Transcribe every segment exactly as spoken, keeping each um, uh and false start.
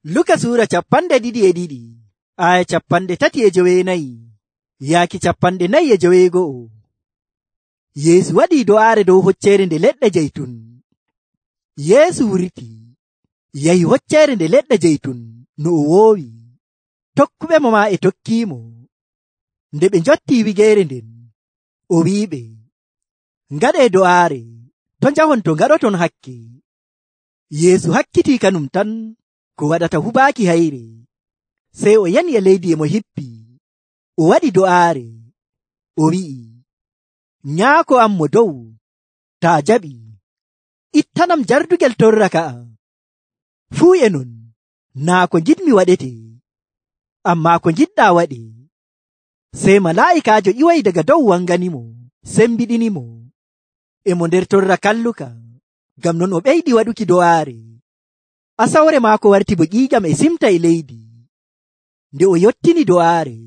Luka suura capanɗe ɗiɗi e ɗiɗi aya capanɗe tati e jowenayi yaaki capanɗe nayi e joweego'o. Yeesu waɗii do'aare dow hocceere nde leɗɗe jeytun. Yeesu wurti yahi hocceere nde leɗɗe jeytun no o woowi. Tokkuɓe mo maa e tokkiimo. Nde ɓe njottii wigeere nden, o wi'iɓe, ngaɗee do'aare, to njahon to ngaɗoton hakke. Yeesu hakkitii kanum tan ko waɗata hubaaki hayre. Sey o yani e leydi e mo hippi. O waɗi do'aare. O wi'i, Nyaako am mo dow, taa jaɓi, ittanam jardugel torra ka'a. Fuu e non, naa ko ngiɗmi waɗete, ammaa ko ngiɗɗaa waɗe. Sey malaa'ikaajo ƴiwoyi daga dow wanganimo, sembiɗinimo. E mo nder torra kalluka, ngam non o ɓeydi waɗuki do'aare. Asawre maako warti bo ƴiiƴam e simta e leydi. Nde o yottini do'aare,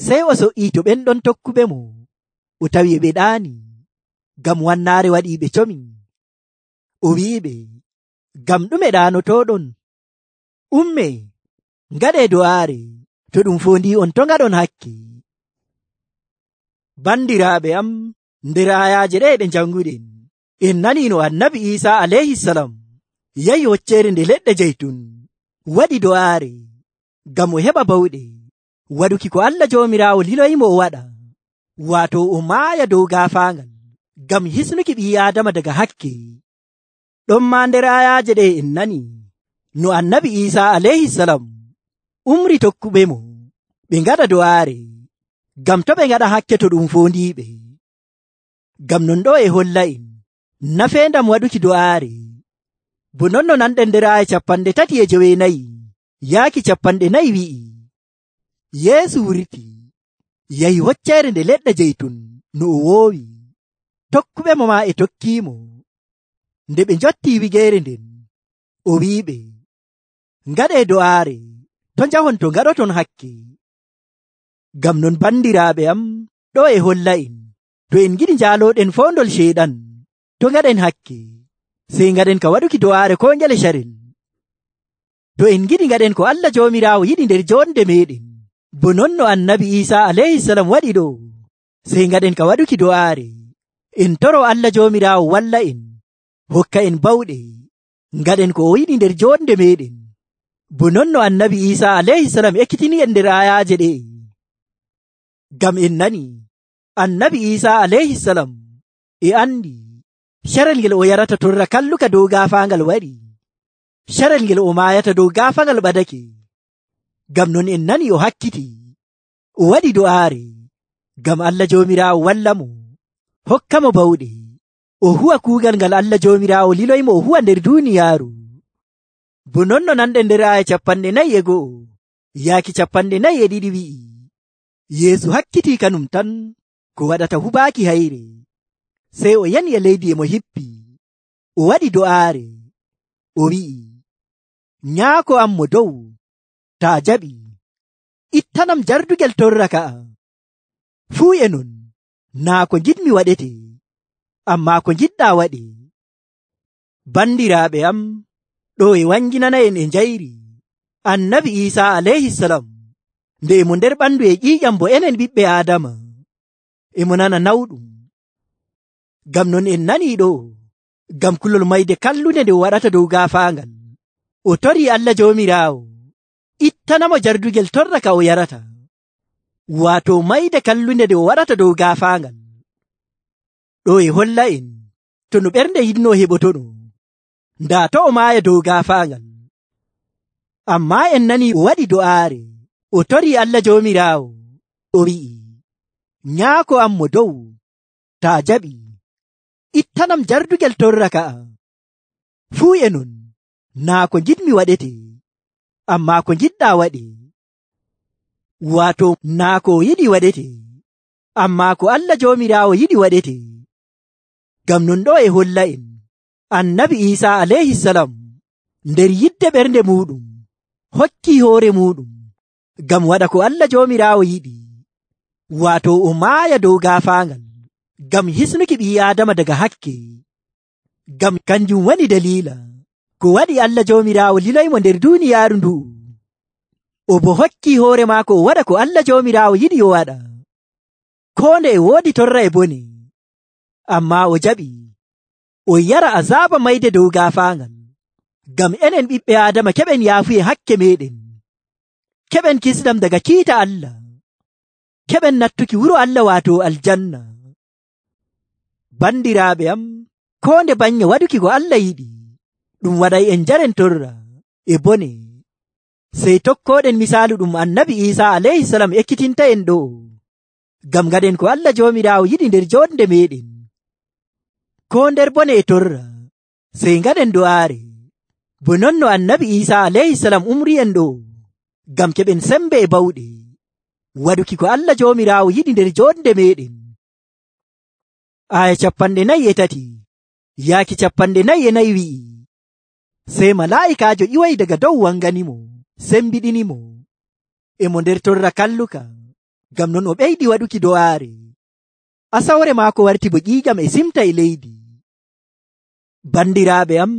sey o so'ii to ɓen ɗon tokkuɓe mo. O tawi e ɓe ɗaani, ngam wannaare waɗii ɓe comi. O wi'iɓe, ngam ɗume ɗaanotoɗon? Ummee, ngaɗee do'aare, to ɗum foondi on to ngaɗon hakke. Bandiraaɓe am, nder ayaaje ɗe ɗe janguɗen, en nanii no annabi Iisaa alayhisalam yahi hocceere nde leɗɗe jeytun, waɗi do'aare, ngam o heɓa bawɗe waɗuki ko Allah Joomiraawo liloyimo o waɗa, waato o maaya dow gaafaangal, ngam hisnuki ɓii Aadama daga hakke. Ɗon maa nder ayaaje ɗe en nani no annabi Iisaa alayhisalam umri tokkuɓe mo ɓe ngaɗa do'aare, ngam to ɓe ngaɗa hakke to ɗum foondiiɓe. Ngam non ɗo e holla en nafeendam waɗuki do'aare. Bo non no nanɗen nder aya capanɗe tati e jowenayi yaaki capanɗe nayi wi'i, Yeesu wurti yahi hocceere nde leɗɗe jeytun no o woowi. Tokkuɓe mo maa e tokkiimo. Nde ɓe njottii wigeere nden, o wi'iɓe, ngaɗee do'aare, to njahon to ngaɗoton hakke. Ngam non bandiraaɓe am, ɗo e holla en, to en ngiɗi njaalooɗen foondol ceyɗan, to ngaɗen hakke, sey ngaɗen ka waɗuki do'aare koo ngele carel. To en ngiɗi ngaɗen ko Allah Joomiraawo yiɗi nder joonde meeɗen, bo non no annabi Iisaa alayhisalam waɗi ɗo, sey ngaɗen ka waɗuki do'aare. En toro Allah Joomiraawo walla en, hokka en bawɗe, ngaɗen ko o yiɗi nder joonde meeɗen, bo non no annabi Iisaa alayhisalam ekkitini en nder ayaaje ɗe. Ngam en nani annabi Iisaa alayhisalam e andi carel ngel o yarata torra kalluka dow gaafaangal waɗi, carel ngel o maayata dow gaafaangal ɓadake. Ngam non en nani o hakkiti, o waɗi do'aare, ngam Allah Joomiraawo walla mo, hokka mo bawɗe, o huwa kuugal ngal Allah Joomiraawo liloymo o huwa nder duuniyaaru. Bo non no nanɗen nder aya capanɗe nayi e go'o yaaki capanɗe nayi e ɗiɗi wi'i, Yeesu hakkitii kanum tan ko waɗata hubaaki hayre. Sey o yani e leydi e mo hippi. O waɗi do'aare. O wi'i, Nyaako am mo dow, taa jaɓi, ittanam jardugel torra ka'a. Fuu e non, naa ko ngiɗmi waɗete, ammaa ko ngiɗɗaa waɗe. Bandiraaɓe am, ɗo e wanginana en e njayri annabi Iisaa alayhisalam nde emo nder ɓandu e ƴiiƴam bo enen ɓiɓɓe Aadama, emo nana nawɗum. Ngam non en nanii ɗo, ngam kulol mayde kallunde nde o waɗata dow gaafaangal, o torii Allah Joomiraawo ittanamo jardugel torra ka o yarata, waato mayde kallunde nde o waɗata dow gaafaangal. Ɗo e holla en to no ɓernde yiɗno heɓotono, ndaa to o maaya dow gaafaangal. Ammaa en nanii o waɗi do'aare, o torii Allah Joomiraawo, o wi'i, Nyaako am mo dow, taa jaɓi, ittanam jardugel torra ka'a. Fuu e non, naa ko ngiɗmi waɗete, ammaa ko ngiɗɗaa waɗe. Waato naa ko o yiɗi waɗete, ammaa ko Allah Joomiraawo yiɗi waɗete. Ngam non ɗo e holla en annabi Iisaa alayhisalam nder yidde ɓernde muuɗum hokkii hoore muuɗum ngam waɗa ko Allah Joomiraawo yiɗi, waato o maaya dow gaafaangal, ngam hisnuki ɓii Aadama daga hakke. Ngam kanjum wani daliila ko waɗi Allah Joomiraawo liloymo nder duuniyaaru ndu o bo hokkii hoore maako o waɗa ko Allah Joomiraawo yiɗi o waɗa. Koo nde e woodi torra e bone, ammaa o jaɓi o yara azaaba mayde dow gaafaangal, ngam enen ɓiɓɓe Aadama keɓen yaafuye hakke meeɗen, keɓen kisdam daga kiita Allah, keɓen nattuki wuro Allah waato aljanna. Bandiraaɓe am, koo nde banye waɗuki ko Allah yiɗi ɗum waɗay en njaren torra e bone, sey tokkooɗen misaalu ɗum annabi Iisaa alayhisalam ekkitinta en ɗo, ngam ngaɗen ko Allah Joomiraawo yiɗi nder joonde meeɗen. Koo nder bone e torra sey ngaɗen do'aare, bo non no annabi Iisaa alayhisalam umri en ɗo, ngam keɓen sembe e bawɗe waɗuki ko Allah Joomiraawo yiɗi nder joonde meeɗen. Aya capanɗe nayi e tati yaaki capanɗe nayi e nayi wi'i, sey malaa'ikaajo ƴiwoyi daga dow wanganimo, sembiɗinimo e mo nder torra kalluka, ngam non o ɓeydi waɗuki do'aare. Asawre maako warti bo ƴiiƴam e simta e leydi. Bandiraaɓe am,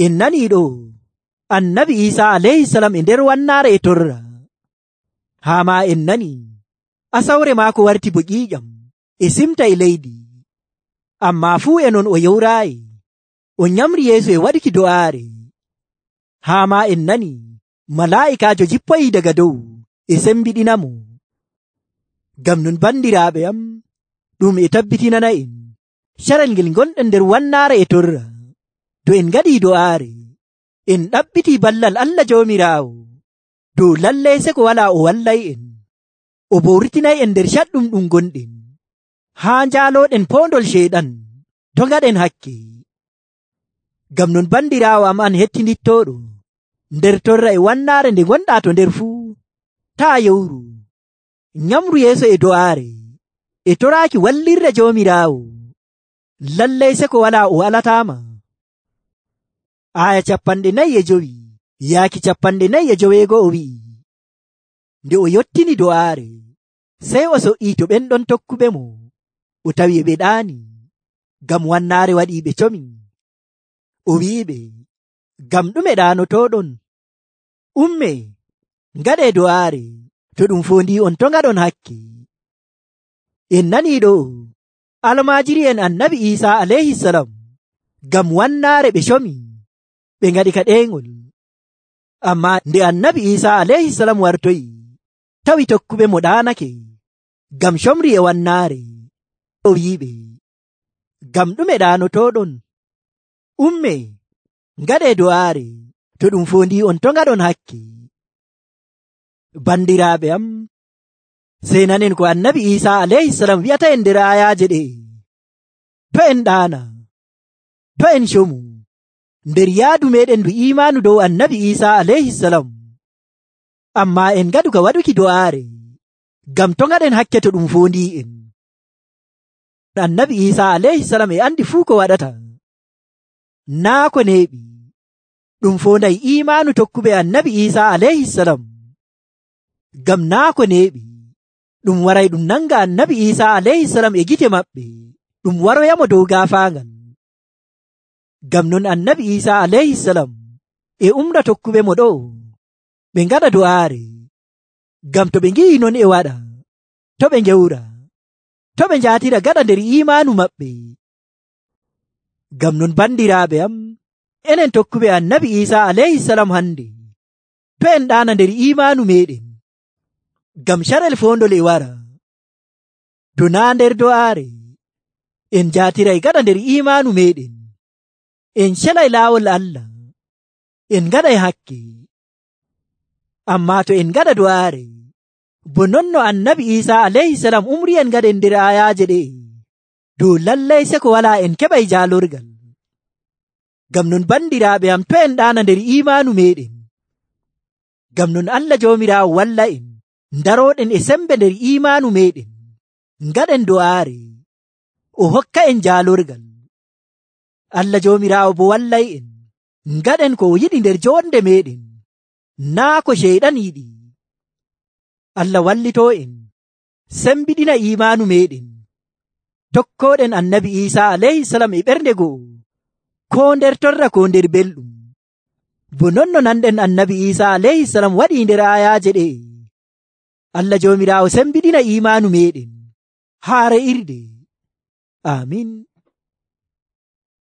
en nanii ɗo annabi Iisaa alayhisalam e nder wannaare e torra, haa maa en nanii asawre maako warti bo ƴiiƴam e simta e leydi, ammaa fuu e non o yowraayi, o nyamri yeeso e waɗuki do'aare. Haa maa en nanii malaa'ikaajo jippoyii daga dow e sembiɗinamo. Ngam non bandiraaɓe am, ɗum e tabbitinana en carel ngel gonɗen nder wannaare e torra, to en ngaɗii do'aare en ɗaɓɓitii ballal Allah Joomiraawo dow lallay seko walaa o wallay en, o bo wurtinay en nder caɗɗum ɗum gonɗen, haa njaalooɗen poondol ceyɗan to ngaɗen hakke. Ngam non bandiraawo am an hettindittooɗo nder torra e wannaare nde gonɗaa to nder fuu, taa yowru, nyamru yeeso e do'aare e toraaki wallirre Joomiraawo, lallay seko walaa o walataama. Aya capanɗe nayi e jowi yaaki capanɗe nayi e joweego'o wi'i, nde o yottini do'aare sey o so'ii to ɓen ɗon tokkuɓe mo, o tawi e ɓe ɗaani, ngam wannaare waɗii ɓe comi. O wi'iɓe, ngam ɗume ɗaanotooɗon? Umme, ngaɗee do'aare, to ɗum foondii on to ngaɗon hakke. En nanii ɗo almaajiri'en annabi Iisaa alayhisalam, ngam wannaare ɓe comi, ɓe ngaɗi ka ɗeengol. Ammaa nde annabi Iisaa alayhisalam wartoyi, tawi tokkuɓe mo ɗaanake, ngam comri e wannaare. O wi'iɓe, ngam ɗume ɗaanotooɗon? Umme, ngaɗee do'aare, to ɗum foondii on to ngaɗon hakke. Bandiraaɓe am, sey nanen ko annabi Iisaa alayhisalam wi'ata en nder ayaaje ɗe, to en ɗaana, to en comu, nder yaadu meɗen ndu imaanu dow annabi Iisaa alayhisalam, ammaa en ngaɗu ka waɗuki do'aare, ngam to ngaɗen hakke to ɗum foondii en. Annabi Iisaa alayhisalam e andi fuu ko waɗata, naa ko neeɓi ɗum foonday imaanu tokkuɓe annabi Iisaa alayhisalam, ngam naa ko neeɓi ɗum waray ɗum nanga annabi Iisaa alayhisalam e gite maɓɓe, ɗum waroyamo dow gaafaangal. Ngam non annabi Iisaa alayhisalam e umra tokkuɓe mo ɗo ɓe ngaɗa do'aare, ngam to ɓe ngi'i non e waɗa, to ɓe ngewra, to ɓe njaatira gaɗa nder imaanu maɓɓe. Ngam non bandiraaɓe am, enen tokkuɓe annabi Iisaa alayhisalam hande, to en ɗaana nder imaanu meɗen, ngam carel foondol e wara, to naa nder do'aare en jaatiray gaɗa nder imaanu meɗen, en celay laawol Allah, en ngaɗay hakke. Ammaa to en ngaɗa do'aare, bo non no annabi Iisaa alayhisalam umri en ngaɗen nder ayaaje ɗe, dow lallay seko walaa en keɓay jaalorgal. Ngam non bandiraaɓe am, to en ɗaana nder imaanu meɗen, ngam non Allah Joomiraawo walla en ndarooɗen e sembe nder imaanu meɗen, ngaɗen do'aare, o hokka en jaalorgal. Allah Joomiraawo bo wallay en ngaɗen ko o yiɗi nder joonde meɗen, naa ko ceyɗan yiɗi. Allah wallitoo en sembiɗina imaanu meɗen, tokkooɗen annabi Iisaa alayhisalam e ɓernde go'o, koo nder torra koo nder belɗum, bo non no nanɗen annabi Isa alayhi salam waɗi nder ayaje ɗe. Allah jomirawo sembiɗina imanu meɗen haa re'irde. Amin.